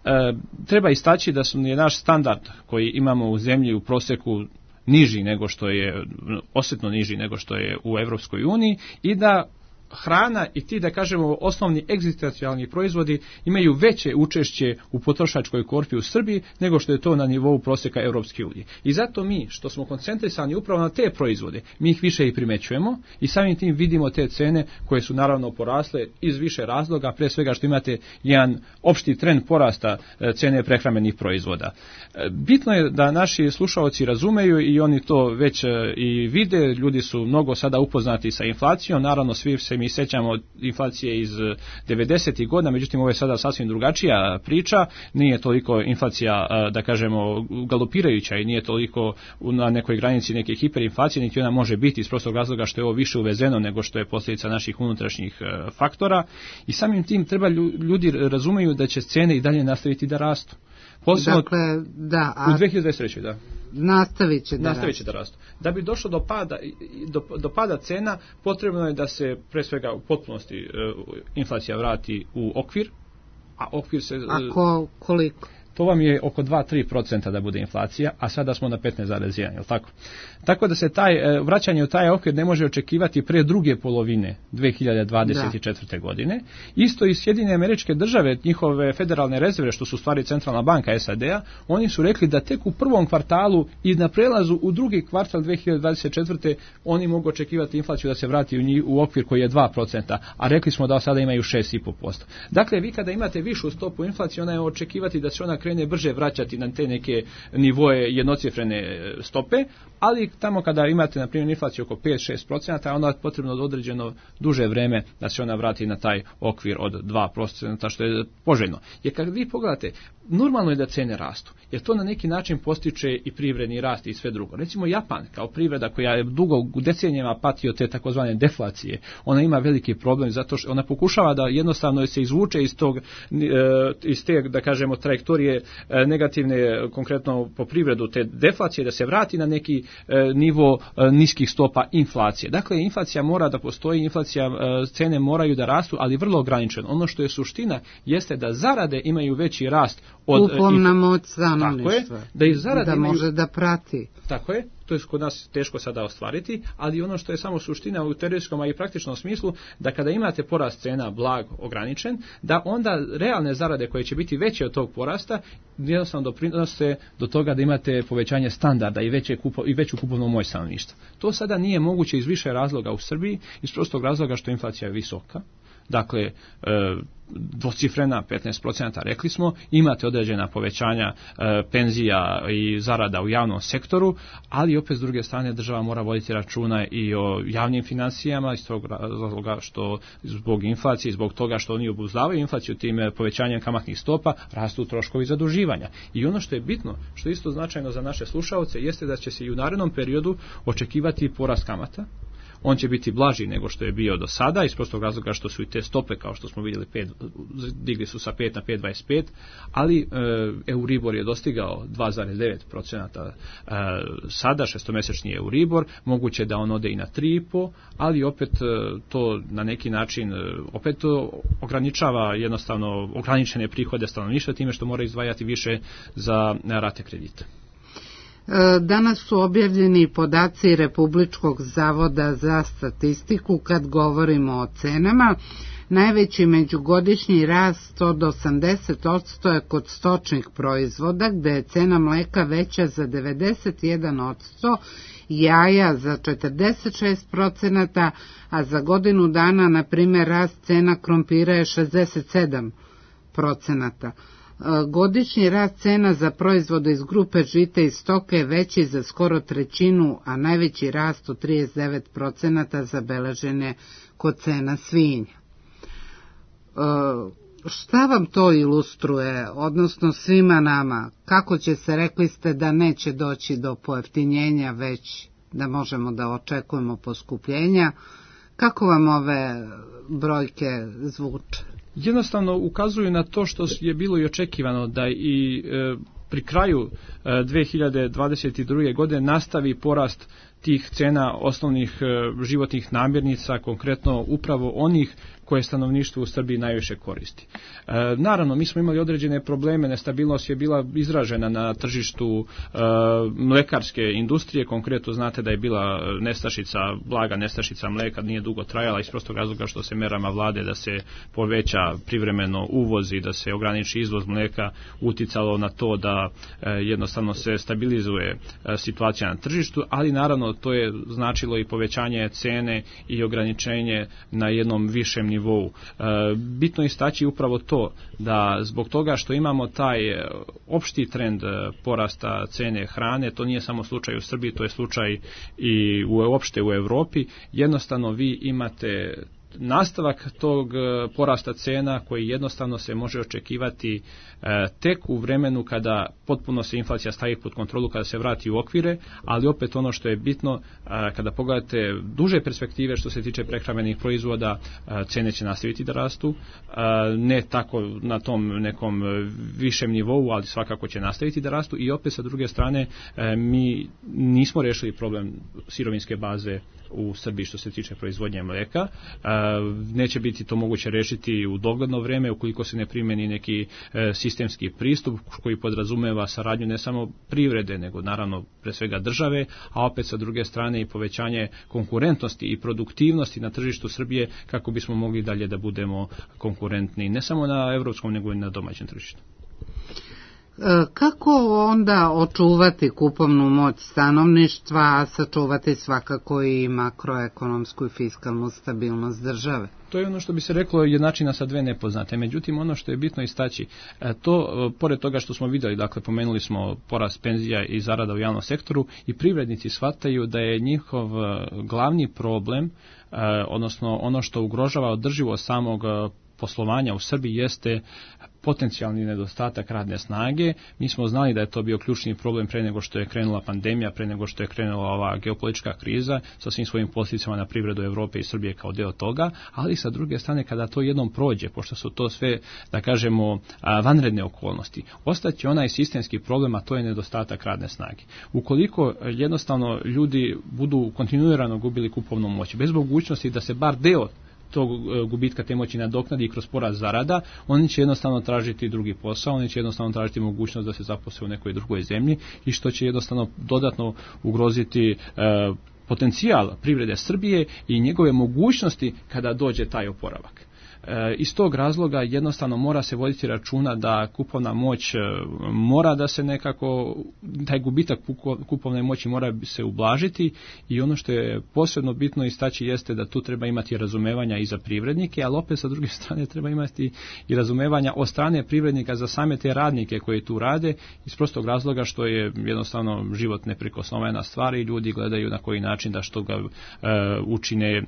e, treba istaći da su je naš standard koji imamo u zemlji u prosjeku niži nego što je, osjetno niži nego što je u Europskoj uniji i da hrana i ti, da kažemo, osnovni egzistencijalni proizvodi imaju veće učešće u potrošačkoj korpi u Srbiji nego što je to na nivou prosjeka Europske unije. I zato mi, što smo koncentrisani upravo na te proizvode, mi ih više i primećujemo i samim tim vidimo te cene koje su naravno porasle iz više razloga, pre svega što imate jedan opšti trend porasta cene prehrambenih proizvoda. Bitno je da naši slušaoci razumeju i oni to već i vide, ljudi su mnogo sada upoznati sa inflacijom, naravno svi se mi sećamo inflacije iz devedesetih godina, međutim ovo je sada sasvim drugačija priča, nije toliko inflacija, da kažemo, galopirajuća i nije toliko na nekoj granici neke hiperinflacije, niti ona može biti iz prostog razloga što je ovo više uvezeno nego što je posljedica naših unutrašnjih faktora i samim tim treba ljudi razumeju da će cene i dalje nastaviti da rastu. Posebno dakle, da, a... u dve hiljade dvadeset trećoj da. Nastavit će da Nastavit će da rastu. Da bi došlo do pada, do, do pada cena, potrebno je da se pre svega u potpunosti uh, inflacija vrati u okvir, a okvir se... A ko, koliko? To vam je oko dva do tri procenta da bude inflacija, a sada smo na petnaest zarez jedan, je li tako? Tako da se taj vraćanje u taj okvir ne može očekivati pre druge polovine dve hiljade dvadeset četvrte. Da. godine. Isto i Sjedinjene Američke Države, njihove federalne rezerve, što su stvari centralna banka S A D-a, oni su rekli da tek u prvom kvartalu i na prelazu u drugi kvartal dve hiljade dvadeset četvrte. oni mogu očekivati inflaciju da se vrati u, njih, u okvir koji je dva procenta, a rekli smo da sada imaju šest zarez pet posto. Dakle, vi kada imate višu stopu inflacije, ona je očekivati da se ona krene brže vraćati na te neke nivoje jednocifrene stope, ali tamo kada imate na primjer inflaciju oko pet do šest procenta, onda je potrebno određeno duže vreme da se ona vrati na taj okvir od dva procenta, što je poželjno. Jer kad vi pogledate, normalno je da cene rastu, jer to na neki način postiče i privredni rast i sve drugo. Recimo Japan, kao privreda koja je dugo u decenijama pati od te takozvane deflacije, ona ima veliki problem zato što ona pokušava da jednostavno se izvuče iz tog, iz te, da kažemo, trajektorije negativne, konkretno po privredu te deflacije, da se vrati na neki nivo niskih stopa inflacije. Dakle, inflacija mora da postoji, inflacija, cene moraju da rastu, ali vrlo ograničeno. Ono što je suština jeste da zarade imaju veći rast od kupovna moć stanovništva, da, i zarade da imaju, može da prati. Tako je, to je kod nas teško sada ostvariti, ali ono što je samo suština u teorijskom, a i praktičnom smislu, da kada imate porast cena blag ograničen, da onda realne zarade koje će biti veće od tog porasta, jednostavno doprinose do toga da imate povećanje standarda i, veće kupo, i veću kupovnu moć stanovništva. To sada nije moguće iz više razloga u Srbiji, iz prostog razloga što inflacija je visoka, dakle dvocifrena petnaest procenata rekli smo, imate određena povećanja e, penzija i zarada u javnom sektoru, ali opet s druge strane država mora voditi računa i o javnim financijama iz tog razloga što zbog inflacije, zbog toga što oni obuzdavaju inflaciju tim povećanjem kamatnih stopa, rastu troškovi zaduživanja. I ono što je bitno, što je isto značajno za naše slušaoce, jeste da će se i u narednom periodu očekivati porast kamata. On će biti blaži nego što je bio do sada, iz prostog razloga što su i te stope, kao što smo vidjeli, pet, digli su sa pet na pet zarez dvadeset pet, ali e, Euribor je dostigao dva zarez devet procenata e, sada, šestomesečni Euribor, moguće da on ode i na tri zarez pet, ali opet e, to na neki način e, opet ograničava jednostavno ograničene prihode stanovništva time što mora izdvajati više za rate kredita. Danas su objavljeni podaci Republičkog zavoda za statistiku kad govorimo o cenama. Najveći međugodišnji rast od osamdeset posto je kod stočnih proizvoda, gde je cena mleka veća za devedeset jedan posto, jaja za četrdeset šest procenata, a za godinu dana, na primjer, rast cena krompira je šezdeset sedam procenata. Godišnji rast cena za proizvode iz grupe žita i stoke je veći za skoro trećinu, a najveći rast od trideset devet procenata zabeležen je kod cena svinja. E, šta vam to ilustruje, odnosno svima nama? Kako će se, rekli ste da neće doći do pojeftinjenja, već da možemo da očekujemo poskupljenja? Kako vam ove brojke zvuče? Jednostavno ukazuju na to što je bilo i očekivano, da i e, pri kraju e, dve hiljade dvadeset druge. godine nastavi porast tih cena osnovnih e, životnih namirnica, konkretno upravo onih koje stanovništvo u Srbiji najviše koristi. E, naravno, mi smo imali određene probleme, nestabilnost je bila izražena na tržištu e, mlekarske industrije, konkretno znate da je bila nestašica, blaga nestašica mleka, nije dugo trajala iz prostog razloga što se merama vlade da se poveća privremeno uvoz i da se ograniči izvoz mleka uticalo na to da e, jednostavno se stabilizuje e, situacija na tržištu, ali naravno to je značilo i povećanje cene i ograničenje na jednom višem nivou. E, bitno je istaći upravo to da zbog toga što imamo taj opšti trend porasta cene hrane, to nije samo slučaj u Srbiji, to je slučaj i uopšte u Evropi, jednostavno vi imate nastavak tog porasta cena koji jednostavno se može očekivati e, tek u vremenu kada potpuno se inflacija stavi pod kontrolu, kada se vrati u okvire, ali opet ono što je bitno, e, kada pogledate duže perspektive što se tiče prehrambenih proizvoda, e, cene će nastaviti da rastu, e, ne tako na tom nekom višem nivou, ali svakako će nastaviti da rastu i opet sa druge strane e, mi nismo rešili problem sirovinske baze u Srbiji što se tiče proizvodnje mleka. Neće biti to moguće rešiti u dogledno vreme ukoliko se ne primeni neki sistemski pristup koji podrazumeva saradnju ne samo privrede, nego naravno pre svega države, a opet sa druge strane i povećanje konkurentnosti i produktivnosti na tržištu Srbije kako bismo mogli dalje da budemo konkurentni ne samo na evropskom nego i na domaćem tržištu. Kako onda očuvati kupovnu moć stanovništva, a sačuvati svakako i makroekonomsku i fiskalnu stabilnost države? To je ono što bi se reklo jednačina sa dve nepoznate. Međutim, ono što je bitno istaći, to, pored toga što smo vidjeli, dakle, pomenuli smo porast penzija i zarada u javnom sektoru i privrednici shvataju da je njihov glavni problem, odnosno ono što ugrožava održivost samog poslovanja u Srbiji jeste potencijalni nedostatak radne snage. Mi smo znali da je to bio ključni problem pre nego što je krenula pandemija, pre nego što je krenula ova geopolitička kriza sa svim svojim posljedicama na privredu Evrope i Srbije kao deo toga, ali sa druge strane kada to jednom prođe, pošto su to sve, da kažemo, vanredne okolnosti, ostaće onaj sistemski problem, a to je nedostatak radne snage. Ukoliko jednostavno ljudi budu kontinuirano gubili kupovnu moć, bez mogućnosti da se bar deo tog gubitka te moći nadoknadi kroz porast zarada, oni će jednostavno tražiti drugi posao, oni će jednostavno tražiti mogućnost da se zaposle u nekoj drugoj zemlji i što će jednostavno dodatno ugroziti e, potencijal privrede Srbije i njegove mogućnosti kada dođe taj oporavak. Iz tog razloga jednostavno mora se voditi računa da kupovna moć mora da se nekako, taj gubitak kupovne moći mora se ublažiti i ono što je posebno bitno istaći jeste da tu treba imati razumevanja i za privrednike, ali opet sa druge strane treba imati i razumevanja od strane privrednika za same te radnike koji tu rade iz prostog razloga što je jednostavno život neprikosnovena stvar i ljudi gledaju na koji način da što ga uh, učine uh,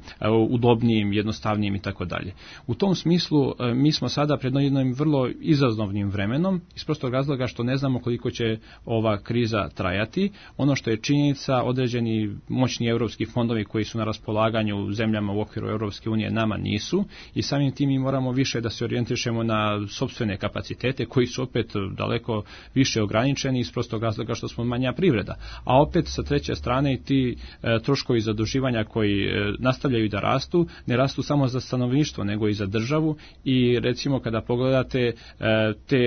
udobnijim, jednostavnijim i tako dalje. U tom smislu uh, mi smo sada pred jednim vrlo izazovnim vremenom iz prostog razloga što ne znamo koliko će ova kriza trajati. Ono što je činjenica, određeni moćni europski fondovi koji su na raspolaganju zemljama u okviru Europske unije nama nisu i samim tim mi moramo više da se orijentišemo na sopstvene kapacitete koji su opet daleko više ograničeni iz prostog razloga što smo manja privreda. A opet sa treće strane i ti e, troškovi zaduživanja koji e, nastavljaju da rastu, ne rastu samo za stanovništvo nego i za državu i recimo kada pogledate e, te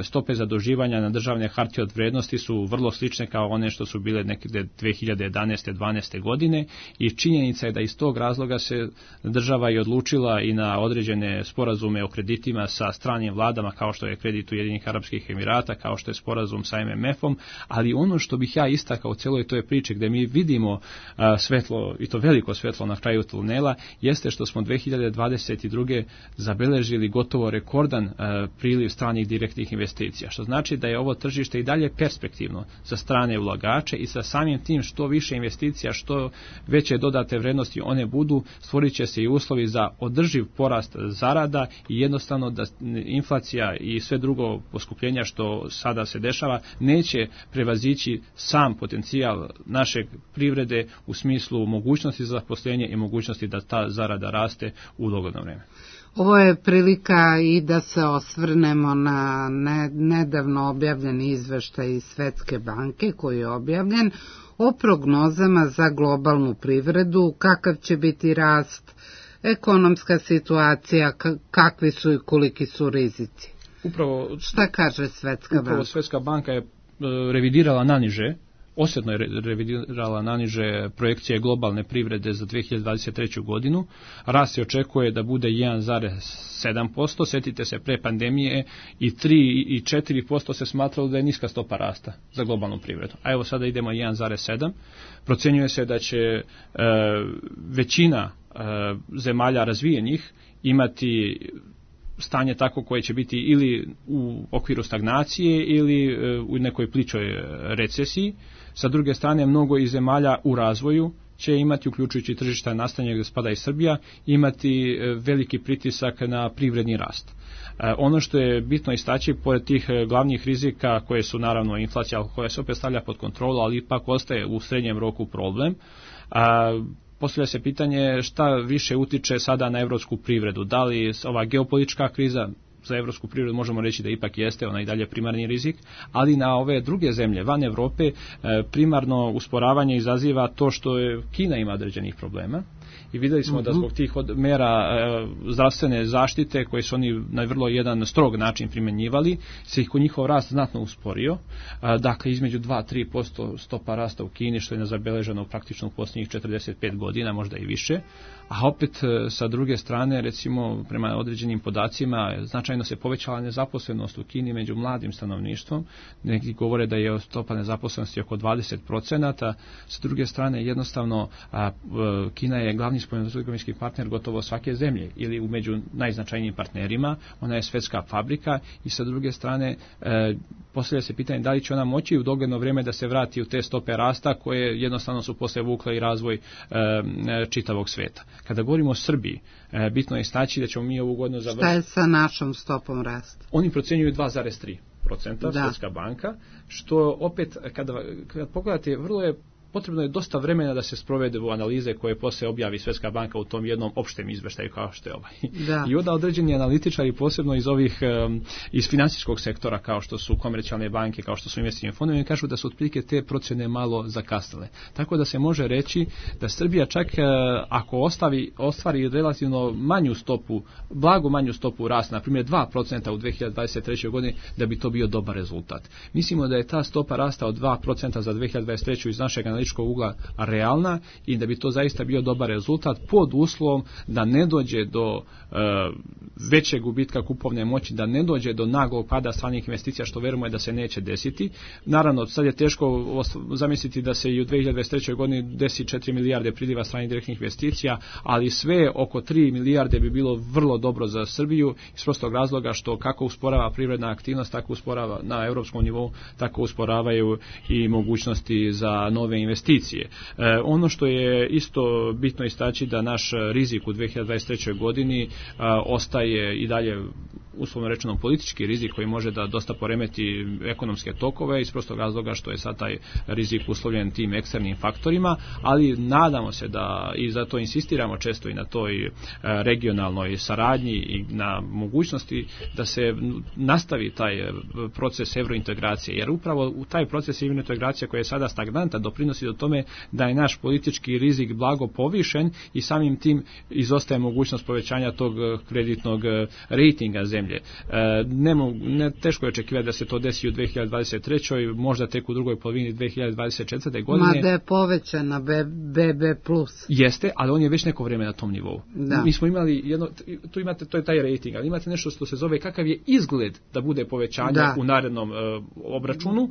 stope zaduživanja na državne hartije od vrednosti su vrlo slične kao one što su bile nekde dve hiljade jedanaeste dvanaeste godine i činjenica je da iz tog razloga se država i odlučila i na određene sporazume o kreditima sa stranim vladama kao što je kredit Ujedinjenih Arapskih Emirata, kao što je sporazum sa em em efom, ali ono što bih ja istakao u cijeloj toj priči gdje mi vidimo a, svetlo i to veliko svetlo na kraju tunela jeste što smo dve hiljade dvadeset druge zabeležili gotovo rekordan a, priliv stranih direktnih investicija, što znači da je ovo tržište i dalje perspektivno za strane ulagače i sa samim tim što više investicija, što veće dodate vrednosti one budu, stvorit će se i uslovi za održiv porast zarada i jednostavno da inflacija i sve drugo poskupljenja što sada se dešava neće prevazići sam potencijal našeg privrede u smislu mogućnosti za zaposlenje i mogućnosti da ta zarada raste u dogodno vrijeme. Ovo je prilika i da se osvrnemo na nedavno objavljeni izveštaj iz Svetske banke koji je objavljen o prognozama za globalnu privredu, kakav će biti rast, ekonomska situacija, kakvi su i koliki su rizici. Upravo, šta kaže Svetska upravo banka? Svetska banka je revidirala naniže, osjetno je revidirala naniže projekcije globalne privrede za dve hiljade dvadeset treću godinu. Rast se očekuje da bude jedan zarez sedam posto, sjetite se pre pandemije i tri i četiri posto se smatralo da je niska stopa rasta za globalnu privredu. A evo sada idemo jedan zarez sedam. Procenjuje se da će e, većina e, zemalja razvijenih imati stanje tako koje će biti ili u okviru stagnacije ili u nekoj plićoj recesiji. Sa druge strane, mnogo iz zemalja u razvoju će imati, uključujući tržišta nastanja gdje spada i Srbija, imati veliki pritisak na privredni rast. Ono što je bitno istaći, pored tih glavnih rizika koje su naravno inflacija koja se opet stavlja pod kontrolu, ali ipak ostaje u srednjem roku problem, postavlja se pitanje šta više utiče sada na evropsku privredu. Da li ova geopolitička kriza za evropsku privredu možemo reći da ipak jeste ona i dalje primarni rizik, ali na ove druge zemlje van Evrope primarno usporavanje izaziva to što je Kina ima određenih problema. I vidjeli smo da zbog tih od mera e, zdravstvene zaštite koje su oni na vrlo jedan strog način primjenjivali, se ih njihov rast znatno usporio. E, dakle, između dva do tri posto stopa rasta u Kini, što je nezabeleženo praktično u posljednjih četrdeset pet godina, možda i više. A opet, e, sa druge strane, recimo, prema određenim podacima, značajno se povećala nezaposlenost u Kini među mladim stanovništvom. Neki govore da je stopa nezaposlenosti oko dvadeset procenata. Sa druge strane, jednostavno, a, a, Kina je glavni spoljnotrgovinski partner gotovo svake zemlje ili u među najznačajnijim partnerima, ona je svetska fabrika i sa druge strane e, postavlja se pitanje da li će ona moći u dogledno vrijeme da se vrati u te stope rasta koje jednostavno su posle vukle i razvoj e, čitavog sveta. Kada govorimo o Srbiji, e, bitno je istaći da ćemo mi ovu godinu završiti. Šta je sa našom stopom rasta? Oni procjenjuju dva zarez tri procenta, Svetska banka, što opet kada, kada pogledate vrlo je potrebno je dosta vremena da se sprovedu analize koje poslije objavi Svetska banka u tom jednom opštem izveštaju kao što je ovaj. Da. I onda određeni analitičari, posebno iz ovih um, iz financijskog sektora kao što su komercijalne banke, kao što su investicioni fondovi, kažu da su otprilike te procjene malo zakasnile. Tako da se može reći da Srbija čak uh, ako ostavi, ostvari relativno manju stopu, blago manju stopu rasta, na primjer dva procenta u dve hiljade dvadeset trećoj godini, da bi to bio dobar rezultat. Mislimo da je ta stopa rasta od dva procenta za dve hiljade dvadeset treću iz našeg analitičkog ugla realna i da bi to zaista bio dobar rezultat pod uslovom da ne dođe do e, većeg gubitka kupovne moći, da ne dođe do naglog pada stranih investicija, što verujemo je da se neće desiti. Naravno, sad je teško zamisliti da se i u dve hiljade dvadeset trećoj godini desi četiri milijarde priliva stranih direktnih investicija, ali sve oko tri milijarde bi bilo vrlo dobro za Srbiju iz prostog razloga što kako usporava privredna aktivnost, tako usporava na europskom nivou, tako usporavaju i mogućnosti za nove investicije. E, ono što je isto bitno istaći da naš rizik u dve hiljade dvadeset trećoj godini a, ostaje i dalje uslovno rečeno politički rizik koji može da dosta poremeti ekonomske tokove iz prostog razloga što je sad taj rizik uslovljen tim eksternim faktorima, ali nadamo se da i zato insistiramo često i na toj regionalnoj saradnji i na mogućnosti da se nastavi taj proces evrointegracije, jer upravo u taj proces evrointegracije koji je sada stagnantan doprinosi do tome da je naš politički rizik blago povišen i samim tim izostaje mogućnost povećanja tog kreditnog rejtinga zemlje. Ne, ne, teško je očekivati da se to desi u dve hiljade dvadeset trećoj možda tek u drugoj polovini dve hiljade dvadeset četvrte godine. Mada je povećan na be be plus. Jeste, ali on je već neko vrijeme na tom nivou. Da. Mi smo imali jedno, tu imate, to je taj rating, ali imate nešto što se zove kakav je izgled da bude povećanje da. u narednom uh, obračunu. Uh,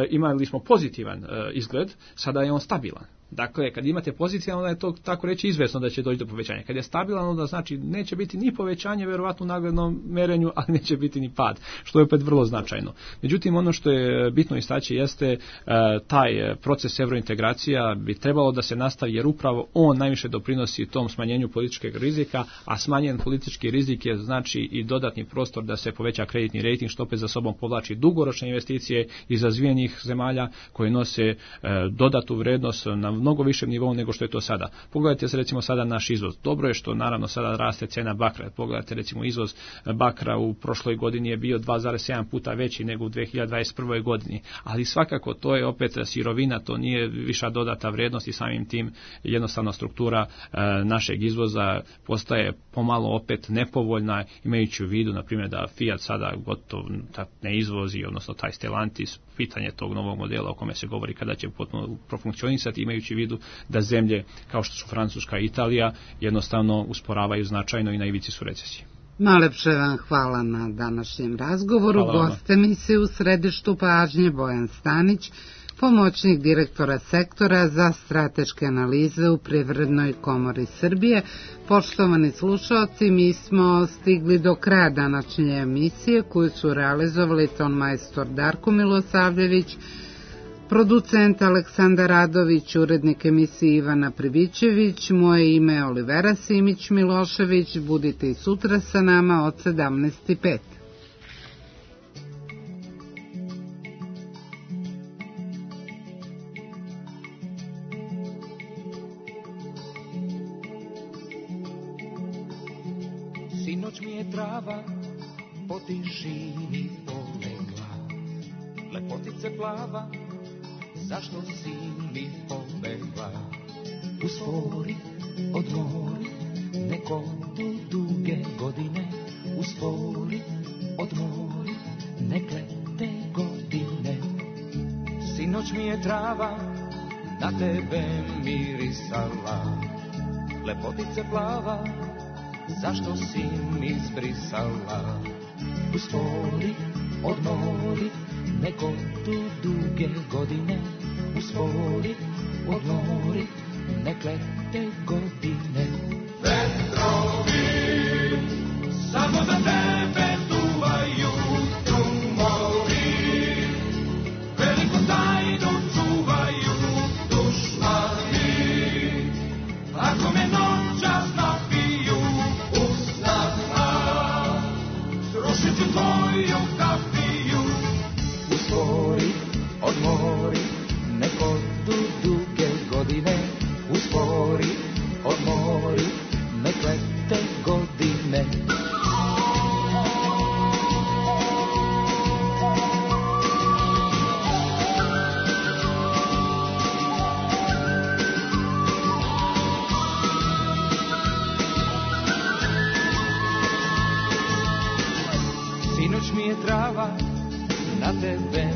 imali smo pozitivan uh, izgled, sada je on stabilan. Dakle, kad imate pozitivan, onda je to tako reći izvesno da će doći do povećanja. Kad je stabilan, onda znači neće biti ni povećanje, verovatno u naglednom merenju, ali neće biti ni pad, što je opet vrlo značajno. Međutim, ono što je bitno istaći jeste e, taj proces evrointegracija bi trebalo da se nastavi, jer upravo on najviše doprinosi tom smanjenju političkog rizika, a smanjen politički rizik je znači i dodatni prostor da se poveća kreditni rejting, što opet za sobom povlači dugoročne investicije iz razvijenih zemalja koje nose e, dodatu vrednost na mnogo višem nivou nego što je to sada. Pogledajte se recimo sada naš izvoz. Dobro je što naravno sada raste cena bakra. Pogledajte recimo izvoz bakra u prošloj godini je bio dva zarez sedam puta veći nego u dve hiljade dvadeset prvoj godini. Ali svakako to je opet sirovina, to nije viša dodata vrednost i samim tim jednostavno struktura e, našeg izvoza postaje pomalo opet nepovoljna, imajući u vidu na primjer da Fiat sada gotovo ne izvozi, odnosno taj Stellantis, pitanje tog novog modela o kome se govori kada će potpuno profunkcionisati, imajući u vidu da zemlje kao što su Francuska i Italija jednostavno usporavaju značajno i na ivici su recesije. Najlepše vam hvala na današnjem razgovoru. Gost emisije u središtu pažnje Bojan Stanić, pomoćnik direktora sektora za strateške analize u Privrednoj komori Srbije. Poštovani slušalci, mi smo stigli do kraja današnje emisije koju su realizovali ton majstor Darko Milosavljević, producent Aleksandar Radović, urednik emisije Ivana Pribićević, moje ime je Olivera Simić-Milošević. Budite i sutra sa nama od sedamnaest i pet. Sinoć mi je trava po tišini polegla, lepotice plava, zašto si mi pobegla? Uspori, odmori, neko tu duge godine. Uspori, odmori, nek lete godine. Sinoć mi je trava na tebe mirisala, lepotice plava, zašto si mi zbrisala? Uspori, odmori, neko tu duge godine. Uspori, odmori, nek lete godine. Vetrovi samo za tebe duvaju, trumovi veliku tajnu čuvaju. Dušmani, ako me noćas napiju, usnama srušit ću tvoju kafiju. Uspori, odmori, neko tu duge godine. Uspori, odmori, nek lete godine. Sinoć mi je trava na tebe